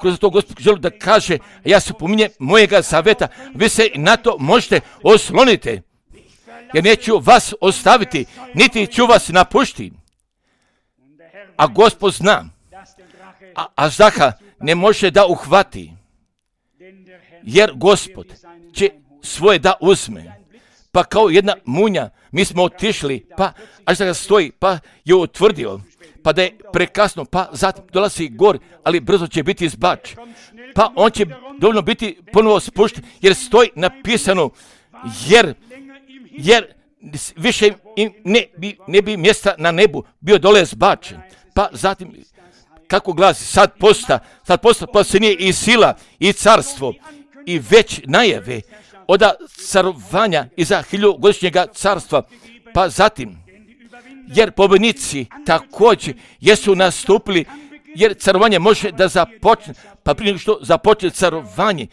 Kroz to Gospod želi da kaže, ja se pominjem mojega zaveta, vi se na to možete osloniti, jer neću vas ostaviti, niti ću vas napuštiti. A Gospod zna, a Aždaha ne može da uhvati, jer Gospod će svoje da uzme. Pa kao jedna munja, mi smo otišli, pa Aždaha stoji, pa je utvrdio, pa da je prekasno, pa zatim dolazi gor, ali brzo će biti izbač. Pa on će dovoljno biti ponovo spušten, jer stoji napisano, jer, jer više im ne bi, ne bi mjesta na nebu bio dole zbačen. Pa zatim, kako glasi, sad posta, sad posta, pa se nije i sila, i carstvo, i već najave od carovanja iza hiljugodišnjega carstva, pa zatim, jer pobjednici također jesu nastupili, jer carovanje može da započne, pa prije nego što započne carovanje,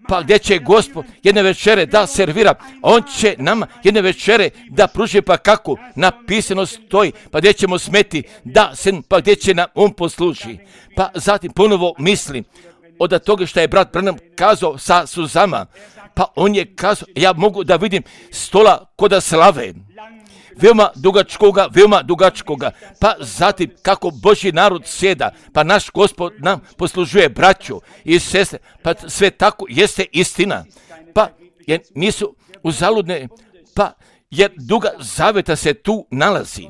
pa gdje će Gospod jedne večere da servira, On će nama jedne večere da pruži, pa kako napisano stoji, pa gdje ćemo smeti da se, pa gdje će nam On posluži. Pa zatim ponovo mislim od toga što je brat Branham kazao sa suzama, pa on je kazao, ja mogu da vidim stola koda slave, veoma dugačkoga, veoma dugačkoga, pa zatim kako Božji narod sjeda, pa naš Gospod nam poslužuje braću i sestre, pa sve tako jeste istina, pa jer nisu uzaludne, pa jer duga zaveta se tu nalazi,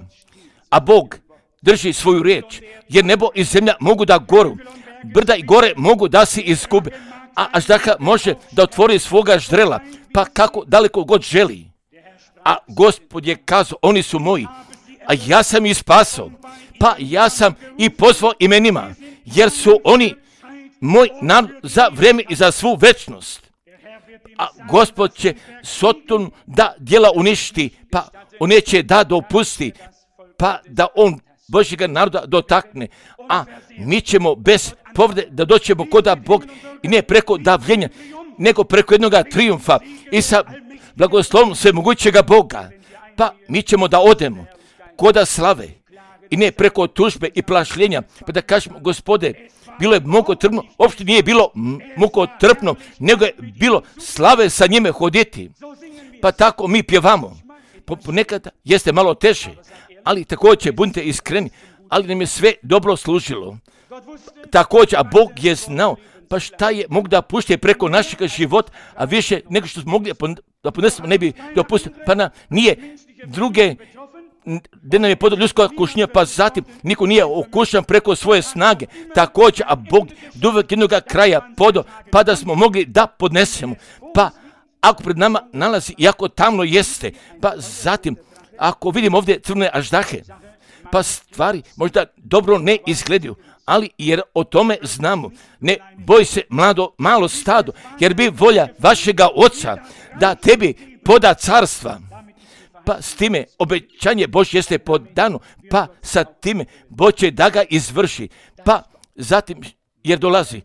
a Bog drži svoju riječ, jer nebo i zemlja mogu da goru, brda i gore mogu da se izgube, a Aždaha može da otvori svoga ždrela, pa kako daleko god želi. A Gospod je kazao, oni su moji, a ja sam ih spasao, pa ja sam i pozvao imenima, jer su oni moj narod za vrijeme i za svu večnost. A Gospod će Sotonu da djela uništi, pa on neće da dopusti, pa da on Božjega naroda dotakne, a mi ćemo bez povrede da doćemo koda Bog i ne preko davljenja, nego preko jednoga trijumfa i sa blagoslovom svemogućega Boga, pa mi ćemo da odemo koda slave i ne preko tužbe i plašljenja, pa da kažemo, Gospode, bilo je mukotrpno, uopšte nije bilo mukotrpno, nego je bilo slave sa njime hoditi. Pa tako mi pjevamo. Ponekad jeste malo teže, ali također budite iskreni, ali nam je sve dobro služilo. Također, a Bog je znao, pa šta je mogu da pušte preko našeg života, a više nego što smo mogli da podnesemo ne bi dopustio, pa na, nije druge, gdje nam je podao ljudska kušnja, pa zatim niko nije okušan preko svoje snage, također, a Bog do uvijek jednog kraja podao, pa da smo mogli da podnesemo, pa ako pred nama nalazi, iako tamno jeste, pa zatim, ako vidimo ovdje crne aždahe, pa stvari možda dobro ne izgledaju, ali jer o tome znamo, ne boj se mlado, malo stado, jer bi volja vašega oca da tebi poda carstva, pa s time obećanje Božje jeste podano, pa sa time Bog će da ga izvrši, pa zatim jer dolazi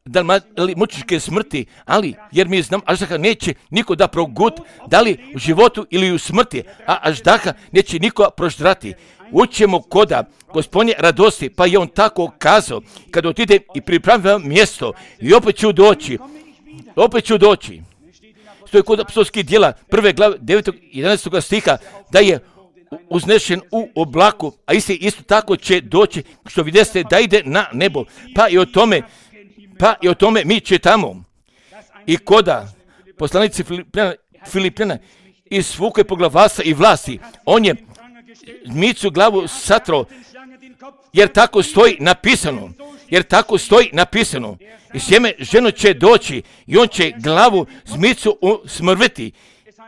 da li mučičke smrti, ali jer mi znam Aždaha neće niko da progut, da li u životu ili u smrti, a Aždaha neće niko proždrati. Učemo koda Gospodnje radosti, pa je on tako kazao, kad otide i pripravim mjesto i opet ću doći, opet ću doći. Stoji kod apostolskih djela prve glave devetog i jedanaestog stiha da je uznešen u oblaku, a isti isto tako će doći, što vidjeste da ide na nebo, pa i o tome, pa i o tome mi čitamo. I koda poslanici Filipljana, Filipljana izvuke poglavarstva i vlasti, on je zmicu glavu satrao, jer tako stoji napisano, jer tako stoji napisano. I sjeme ženo će doći i on će glavu zmicu smrviti.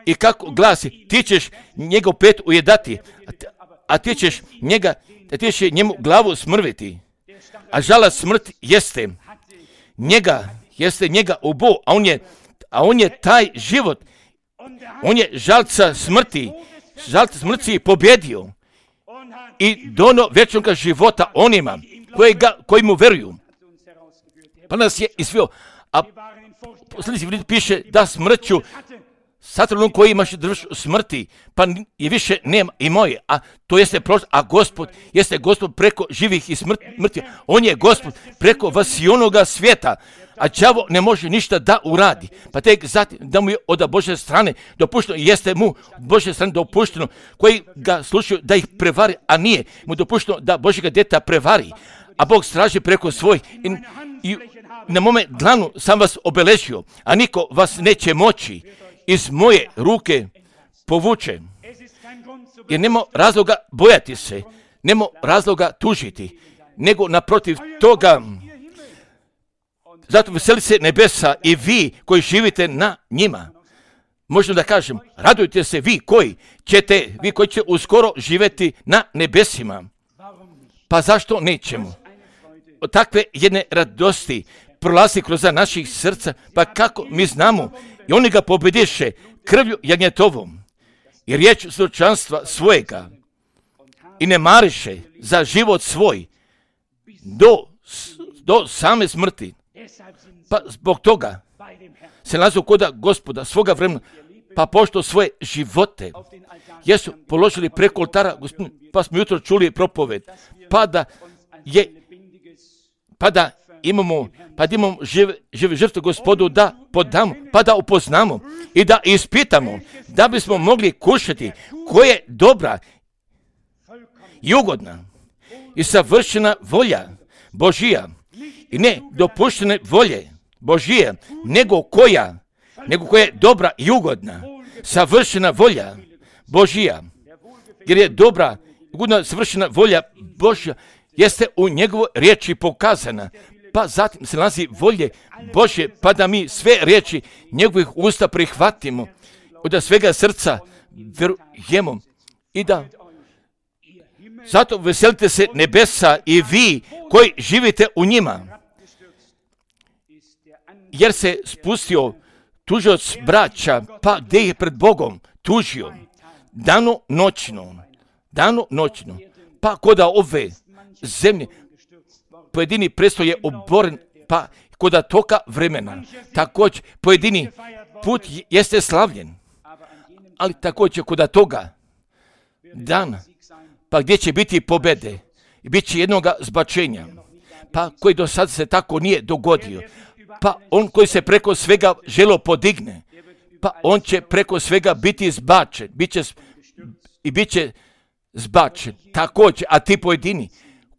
I kako glasi, ti ćeš njegov pet ujedati, a ti ćeš njega, a ti ćeš njemu glavu smrviti. A žala smrt jeste njega, jeste njega ubo, a on je, a on je taj život, on je žalca smrti, žalca smrti pobjedio i dono vječnog života onima koji, ga, koji mu veruju. Pa nas je isvio, a posljednji piše da smrću Satanom koji imaš drž smrti, pa je više nema i moje, a to jeste prošlo, a Gospod jeste Gospod preko živih i smrti. On je Gospod preko vasionoga svijeta, a đavo ne može ništa da uradi. Pa tek zatim da mu je od Božje strane dopušteno, jeste mu Božje strane dopušteno, koji ga slušaju da ih prevari, a nije mu dopušteno da Božjega djeta prevari. A Bog straži preko svoj i, i na mome dlanu sam vas obeležio, a niko vas neće moći iz moje ruke povuče. Jer nema razloga bojati se, nema razloga tužiti, nego naprotiv toga, zato veseli se nebesa i vi koji živite na njima. Možemo da kažem, radujte se vi koji ćete, vi koji će uskoro živjeti na nebesima. Pa zašto nećemo? Od takve jedne radosti prolazi kroz naših srca, pa kako mi znamo, i oni ga pobjediše krvlju jagnjetovom i riječ svjedočanstva svojega i ne mariše za život svoj do, do same smrti. Pa zbog toga se nalaze kod Gospoda svoga vremena, pa pošto svoje živote jesu položili preko oltara Gospodina, pa smo jutro čuli propoved, pa da je, pa da imamo, pa da imamo žive, žive žrtve Gospodu da podamo, pa da upoznamo i da ispitamo, da bismo mogli kušati koja je dobra i ugodna i savršena volja Božija i ne dopuštene volje Božije, nego koja, nego koja je dobra i ugodna, savršena volja Božija, jer je dobra, ugodna, savršena volja Božja jeste u njegovoj riječi pokazana. Pa zatim se nalazi volje Božje, pa da mi sve riječi njegovih usta prihvatimo, da svega srca verujemo i da zato veselite se nebesa i vi koji živite u njima, jer se spustio tužioc braća, pa gdje je pred Bogom tužio dano noćno, dano noćno, pa koda ove zemlje pojedini presto je oboren, pa koda toka vremena, također pojedini put jeste slavljen, ali također koda toga dana, pa gdje će biti pobjede, bit će jednoga zbačenja, pa koji do sad se tako nije dogodio, pa on koji se preko svega želo podigne, pa on će preko svega biti zbačen, bit će, i bit će zbačen također, a ti pojedini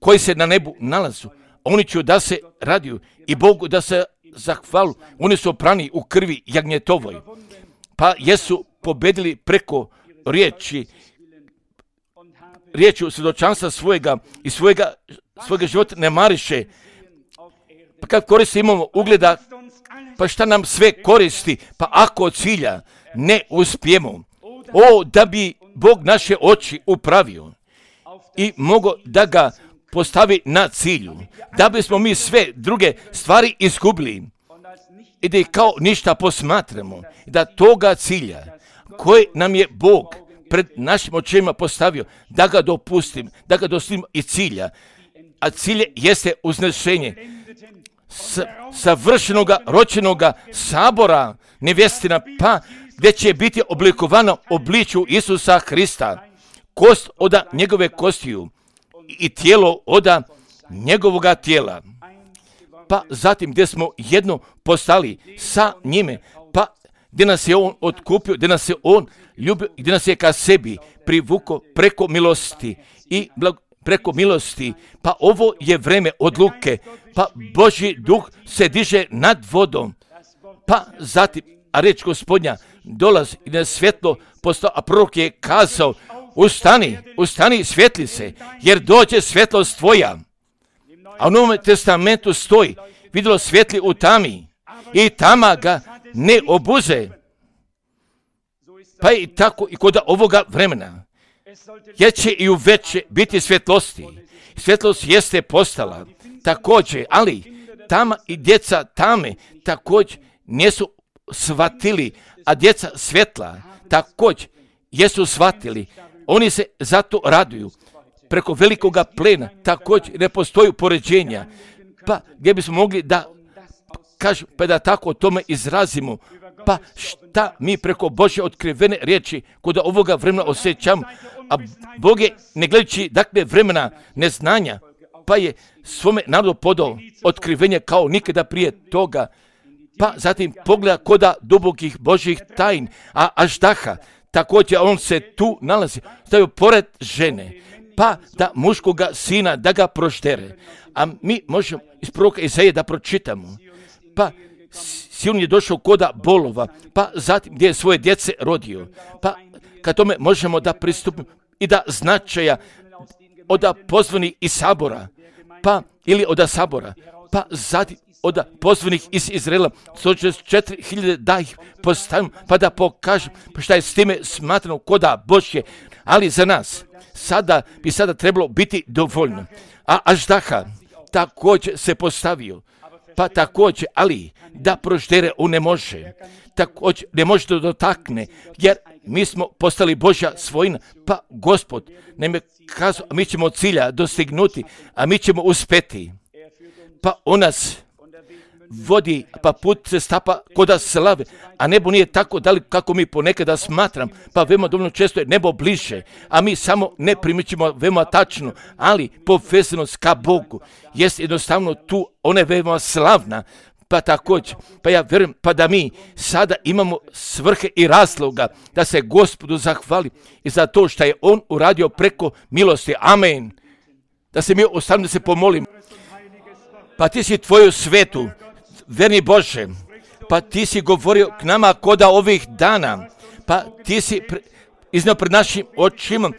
koji se na nebu nalazu, oni će da se radiju i Bogu da se zahvalu, oni su oprani u krvi jagnjetovoj, pa jesu pobedili preko riječi, riječi svjedočanstva svojega i svojega, svojega života ne mariše. Pa kad koristi imamo ugleda, pa šta nam sve koristi, pa ako od cilja ne uspijemo, o da bi Bog naše oči upravio i mogo da ga postavi na cilju, da bismo mi sve druge stvari izgubili i da ih kao ništa posmatramo, da toga cilja koji nam je Bog pred našim očima postavio, da ga dopustim, da ga dostignem i cilja, a cilje jeste uznešenje s, savršenoga ročenoga sabora nevjestina, pa gdje će biti oblikovano obličju Isusa Hrista, kost od njegove kostiju i tijelo od njegovoga tijela. Pa zatim gdje smo jedno postali sa njime, pa gdje nas je on otkupio, gdje nas je on ljubio, gdje nas je ka sebi privukao preko milosti i blag, preko milosti. Pa ovo je vreme odluke, pa Božji duh se diže nad vodom, pa zatim, a reč Gospodnja dolazi i na svjetlo postao, a prorok je kazao, ustani, ustani, svjetli se, jer dođe svjetlost tvoja. A u Novom testamentu stoji, vidjelo svjetli u tami i tama ga ne obuze. Pa i tako i kod ovoga vremena. Jer će i u veće biti svjetlosti. Svjetlost jeste postala također, ali tama i djeca tame također nisu shvatili, a djeca svjetla također jesu shvatili. Oni se zato raduju. Preko velikoga plena također ne postoji poređenja. Pa gdje bismo mogli da kažem, pa da tako o tome izrazimo. Pa šta mi preko Božje otkrivene riječi kod ovoga vremena osjećamo, a Bog je, ne gledajući dakle vremena neznanja, pa je svome narodu podao otkrivenje kao nikada prije toga, pa zatim pogleda koda dubokih Božjih tajn, a Aždaha, također on se tu nalazi, stavio pored žene, pa da muškoga sina da ga proždere, a mi možemo iz proroka Izaije da pročitamo, pa Sion je došao koda bolova, pa zatim gdje je svoje djece rodio, pa kad tome možemo da pristupimo i da značaja od pozvanih iz sabora, pa ili od sabora, pa zatim od pozvanih iz Izraela, sto šezdeset četiri hiljade da ih postavim, pa da pokažem pa šta je s time smatrano koda Božje, ali za nas sada bi sada trebalo biti dovoljno. A Aždaha također se postavio, pa također, ali da proždere on ne može, također ne može da dotakne, jer mi smo postali Božja svojina, pa Gospod nam je kazao, a mi ćemo cilja dostignuti, a mi ćemo uspeti. Pa on nas vodi, pa put se stapa koda slave, a nebo nije tako daleko kako mi ponekada smatram, pa veoma dovoljno često je nebo bliže, a mi samo ne primičimo veoma tačno, ali povezanost ka Bogu jest jednostavno tu, ona je veoma slavna, pa također, pa ja vjerujem, pa da mi sada imamo svrhe i razloga da se Gospodu zahvali i za to što je on uradio preko milosti. Amen. Da se mi ostavimo da se pomolimo. Pa ti si tvoju svetu, verni Bože, pa ti si govorio k nama koda ovih dana, pa ti si pre, iznio pred našim očima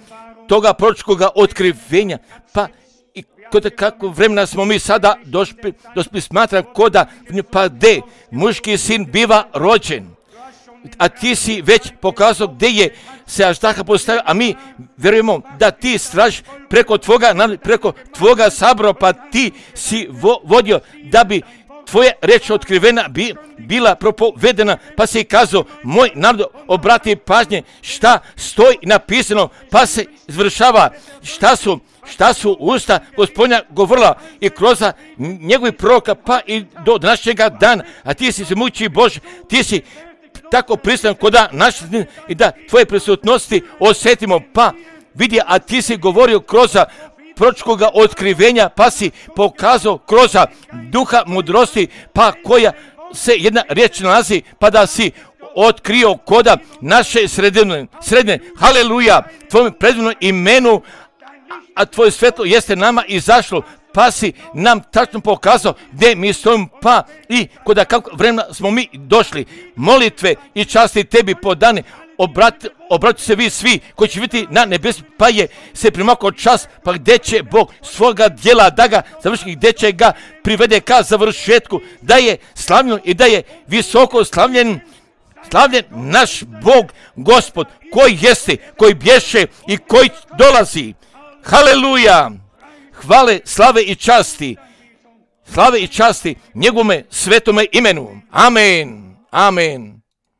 toga proročkoga otkrivenja, pa i kod kako vremena smo mi sada došli, došli smatram koda, pa gdje muški sin biva rođen, a ti si već pokazao gdje je se Aždaha postavio, a mi vjerujemo da ti stražiš preko tvoga, preko tvoga sabora, pa ti si vo, vodio da bi tvoja reč otkrivena bi, bila propovedena, pa se i kazao, moj narod obrati pažnje šta stoji napisano, pa se izvršava šta su, šta su usta Gospodnja govorila i kroz njegovih proroka, pa i do današnjega dana, a ti si se muči Bože, ti si tako prisutan koda naš i da tvoje prisutnosti osjetimo, pa vidi, a ti si govorio kroz proročkoga otkrivenja, pa si pokazao kroz duha mudrosti, pa koja se jedna riječ nalazi, pa da si otkrio koda naše sredine, sredine, haleluja, tvojom predivnom imenu, a tvoje svetlo jeste nama izašlo, pa si nam tačno pokazao gdje mi stojimo, pa i koda kako vremena smo mi došli, molitve i časti tebi podane, Obrat, obrati se vi svi koji će biti na nebesu, pa je se primakao čas, pa gdje će Bog svoga djela da ga završi, gdje će ga privede ka završetku, da je slavljen i da je visoko slavljen, slavljen naš Bog, Gospod, koji jeste, koji bješe i koji dolazi. Haleluja! Hvale, slave i časti, slave i časti njegovome svetome imenu. Amen, amen.